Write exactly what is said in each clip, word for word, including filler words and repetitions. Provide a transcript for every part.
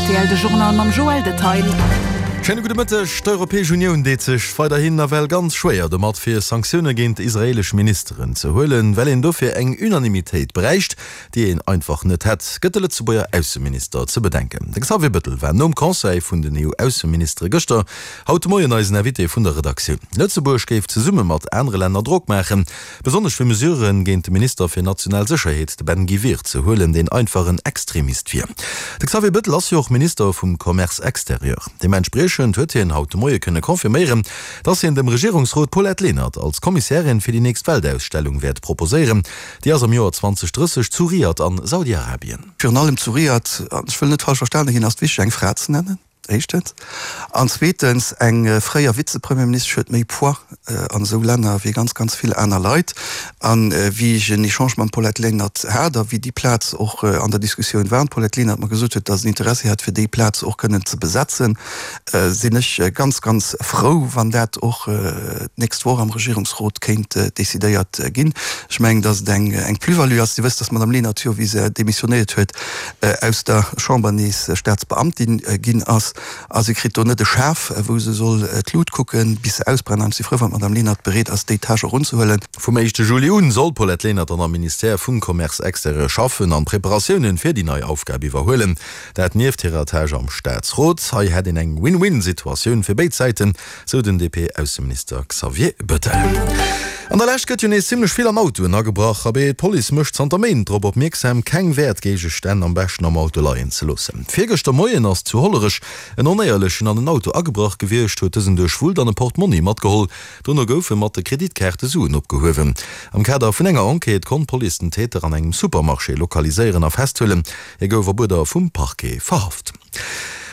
rtl, De Journal mam Joël Detail. Schéine gudde Mëtteg. D'Europäesch Unioun deet sech weiderhin nawell ganz schwéier domat, fir Sanktioune géint israeelesch Ministeren ze huelen, well een dofir eng Unanimitéit bräicht, déi een einfach net hätt, gëtt de Lëtzebuerger Ausseminister ze bedenken. De Xavier Bettel war nom Conseil vun den EU-Ausseministere gëschter haut de Moien eisen Invité vun der Redaktioun. Lëtzebuerg géif zesumme mat anere Länner Drock maachen, besonnesch fir Mesurë géint de Minister fir national Sécherheet, de Ben Gvir, ze huelen, deen einfach en Extremist wier. De Xavier Bettel ass jo och Minister vum Commerce extérieur. Deementspriechend huet hien haut de Moie kënne confirméieren, dass hien dem Regierungsrot d'Paulette Lenert als Kommissärin fir déi nächst Weltausstellung wäert proposéieren. Déi ass am Joer zweedausendrësseg zu Riad an Saudi-Arabien. Virun allem zu Riad, an ech wëll net falsch verstane ginn, ass et wichteg eng Fra ze nennen, éischtens. An zweetens, eng fréier Vizepremierministesch huet méi Poids an esou Länner wéi ganz, ganz vill aner Leit. A wéi ech en Echange mam Paulette Lenert hat a wéi déi Plaz och an der Diskussioun war an d'Paulette Lenert mer gesot huet, datt se en Interessi hätt fir déi Plaz och kënnen ze besetzen, sinn ech ganz, ganz frou, wann dat och d'nächst Woch am Regierungsrot kéint decidéiert ginn. Ech mengen, datt et eng Plus-value ass. Dir wësst, datt d'Madame Lenert jo, wéi se demissionéiert huet, aus der Chamber nees Staatsbeamtin ginn ass. A si kritt do net e Schaf, wou se soll d'Lut kucken, bis se ausbrennt. An ech si frou, wann d'Madame Lenert bereet ass, déi Tâche och unzehuelen. Vum éischte Juli un soll d'Paulette Lenert dann am Ministère vum Commerce extérieur schaffen an d'Preparatiounen fir déi nei Aufgab iwwerhuelen. Dat nieft hirer Tâche am Staatsrot. Hei hätt een eng Win-win-Situatioun fir béid Säiten, sou den D P-Ausseminister Xavier Bettel. An der Lescht gëtt jo nees zimmlech vill an Autoen agebrach. Abee, d'Police mécht zanter Méint drop opmierksam, keng Wäertgéigestänn am beschten am Auto leien ze loossen. Virgëschter Moien ass zu Hollerech en Onéierlechen an en Auto agebrach gewiescht, huet dësen duerchwullt an e Portmonni matgeholl. Dono goufe mat de Kreditkaarte Suen opgehuewen. Am Kader vun enger Enquête konnt d'Police den Täter an engem Supermarché lokaliséieren a festhuelen. Hie gouf op Uerder vum Parquet verhaft.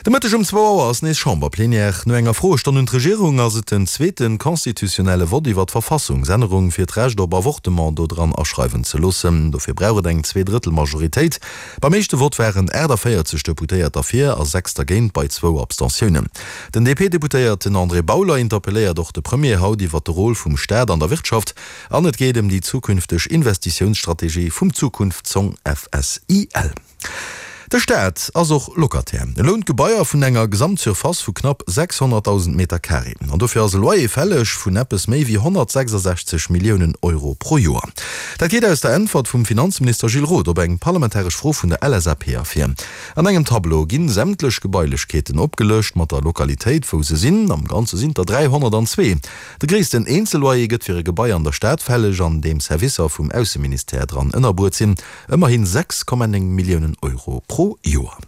De Mëtteg um zwou Auer ass nees Chamberplenière. No enger Froestonn un d'Regierung ass et den zweete constitutionnelle Vott iwwer d'Verfassungsännerung, fir d'Recht op Avortement do dran aschreiwen ze loossen. Dofir brauch et eng Zweedrëttel-Majoritéit. Beim éischte Vott waren aachtavéierzeg Deputéiert derfir a sechs dergéint, bei zwou Abstentiounen. Den D P-Deputéierten André Bauler interpelléiert och de Premier haut iwwer de Rôle vum Staat an der Wirtschaft an et geet ëm déi zukünfteg Investitiounsstrategie vum Zukunftsfong F S I L. De Staat ass och Locataire. E lount Gebaier vun enger Gesamtsurface vu knapp sechshonnertdausend Meter Carré. An dofir ass e Loyer fälleg vun eppes méi wéi honnertsechsasechzeg Milliounen Euro pro Joer. Dat geet aus der Äntwert vum Finanzminister Gilles Roth op eng parlamentaresch Fro vun der L S A P ervir. An engem Tableau ginn sämtlech Gebailechkeeten opgelëscht mat der Lokalitéit, wou se sinn. Am Ganze sinn der dräihonnertanzwee. De gréissten Eenzelloyer gëtt fir e Gebai an der Stad fälleg, an deem Servicer vum Ausseministère dran ënnerbruet sinn, ëmmerhin sechs Komma néng Milliounen Euro pro Joer.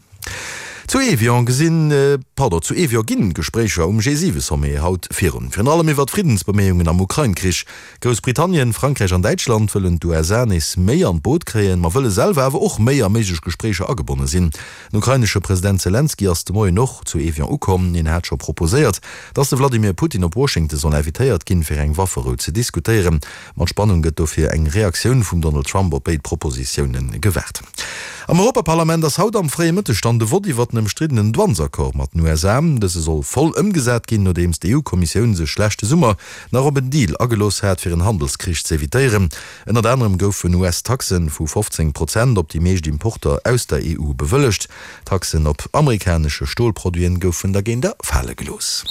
Zu Evian gesinn, pardon, zu Evian ginn d'Gespréicher um G siwe Sommet haut virun. Virun allem iwwert d'Friddensbeméiungen am Ukrain-Krich. Groussbritannien, Frankräich an Däitschland wëllen d'U S A nees méi an d'Boot kréien, ma wëlle selwer awer och méi a méiglech Gespréicher agebonne sinn. Den ukrainesche President Selenskyj ass de Moien och zu Evian ukomm. Hien hat scho proposéiert, datt de Vladimir Putin op Washington soll invitéiert ginn, fir eng Wafferou ze diskutéieren. Mat Spannung gëtt dofir eng Reaktioun vum Donald Trump op béid Propositioune gewaart. Am Europaparlament ass haut am fréie Mëtteg dann de Vott iwwer den ëmstriddenen Douanesaccord mat den U S A. Dëse soll voll ëmgesat ginn, nodeems d'E U-Kommissioun sech leschte Summer nach op en Deal agelooss hat, fir en Handelskrich ze evitéieren. Ënnert anerem goufen U S-Taxe vu fofzéng Prozent op déi meescht Importer aus der E U bewëllegt. Taxen op amerikanesche Stolproduiten goufen dergéint fale gelooss.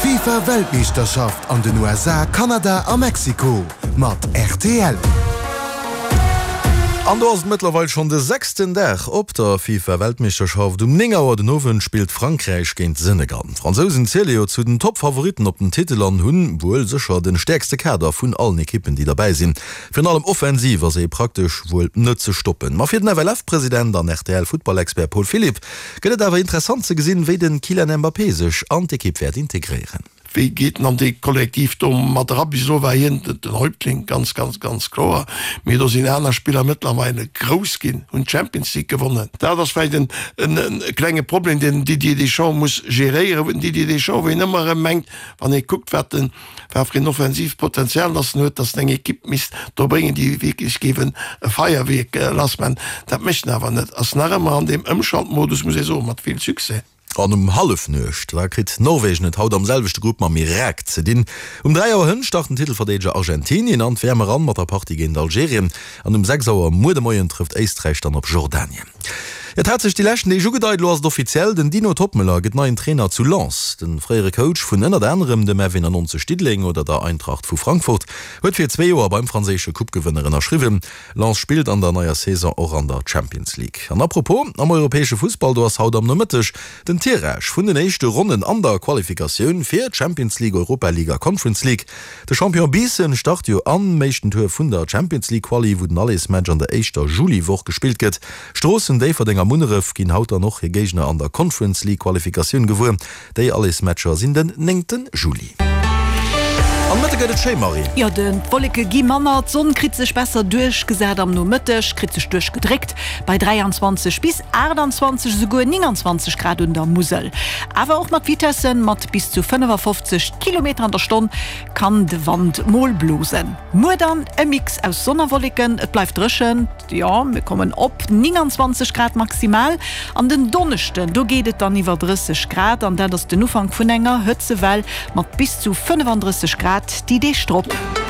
FIFA-Weltmeeschterschaft an den U S A, Kanada a Mexiko mat R T L. An do ass et mëttlerweil schonn de sechsten Dag op der FIFA-Weltmeeschterschaft. Um néng Auer den Owend spillt Frankräich géint Senegal. D'Fransousen ziele jo zu den Top-Favoritten op den Titel an hunn wuel sécher de stäerkste Kader vun allen Ekippen, déi derbäi sinn. Virun allem offensiv ass ee praktesch wuel net ze stoppen. Ma fir den F L F-President an R T L-Futtballexpert Paul Philipp gëtt et awer interessant ze gesinn, wéi de Kylian Mbappé sech an d'Ekipp wäert integréieren. Wéi geet en an dee Kollektiv do mat era? Bis elo war hien den Häuptling, ganz, ganz, ganz kloer. Mee do sinn aner Spiller mëttlerweile grouss ginn, hunn d'Champions League gewonnen. Dat ass vläicht en e klenge Problem, deen den Didier Deschamps muss geréieren, wou den Didier Deschamps, wou een ëmmer erëm mengt, wann ee kuckt, wat en, wat fir en offensiivt Potenzial datt en huet, datt en eng Ekipp misst do bréngen, déi wierklech géif e Feierwierk lassman. Dat mécht en awer net, ass nach ëmmer an deem Ëmschaltmodus, muss ee soen, mat vill Succès. An um Hallefnuecht, da kritt Norwegen et haut am selwechte Grupp mam Irak ze dinn. Um dräi Auer hënt start den Titelverdeedeger Argentinien an d'W M eran mat der Partie géint Algerien. An um sechs Auer muer de Moien trëfft Éisträich dann op Jordanien. Et hat sech déi leschten Deeg ugedeit, elo ass et offiziell, Den Dino Toppmöller gëtt neien Trainer zu Lens. De fréiere Coach vun ënnert anerem dem F eenannonzeg Diddeleng oder der Eintracht vu Frankfurt huet fir zwee Joer beim franséische Coupe-Gewënner ënnerschriwwen. Lens spillt an der neier Saison och an der Champions League. An apropos, am europäesche Fussball, do ass haut am Nomëtteg den Tirage vun den éischte Ronnen an der Qualifikatioun fir d'Champions League, Europa League a Conference League. De Champion Biissen start jo am éischten Tour vun der Champions League Quali, wou den Allersmatch an der éischter Juliwoch gespillt gëtt. Stroossen, Déifferdeng a Munneref ginn haut dann och hir Géigner an der Conference League Qualifikatioun gewuer. Déi Allersmatcher sinn den néngte Juli. Am Mëtte gëtt et schéi, Marie. Jo, de d'Wolleke gi manner, d'Sonn kritt sech besser duerchgesat am Nomëtteg, kritt sech duerchgedréckt bei dräianzwanzeg bis aachtanzwanzeg, esouguer nénganzwanzeg Grad un der Musel. Awer och mat Vitessen mat bis zu fënnefafofzeg Kilometer an der Stonn kann de Wand mol blosen. Muer dann e Mix aus Sonn a Wolleken, et bleift dréchen, jo mir kommen op nénganzwanzeg Grad maximal. An den Donneschden, do geet et dann iwwer drësseg Grad an dat ass den Ufank vun enger Hëtzewell mat bis zu fënnefandrësseg Grad déi Deeg drop.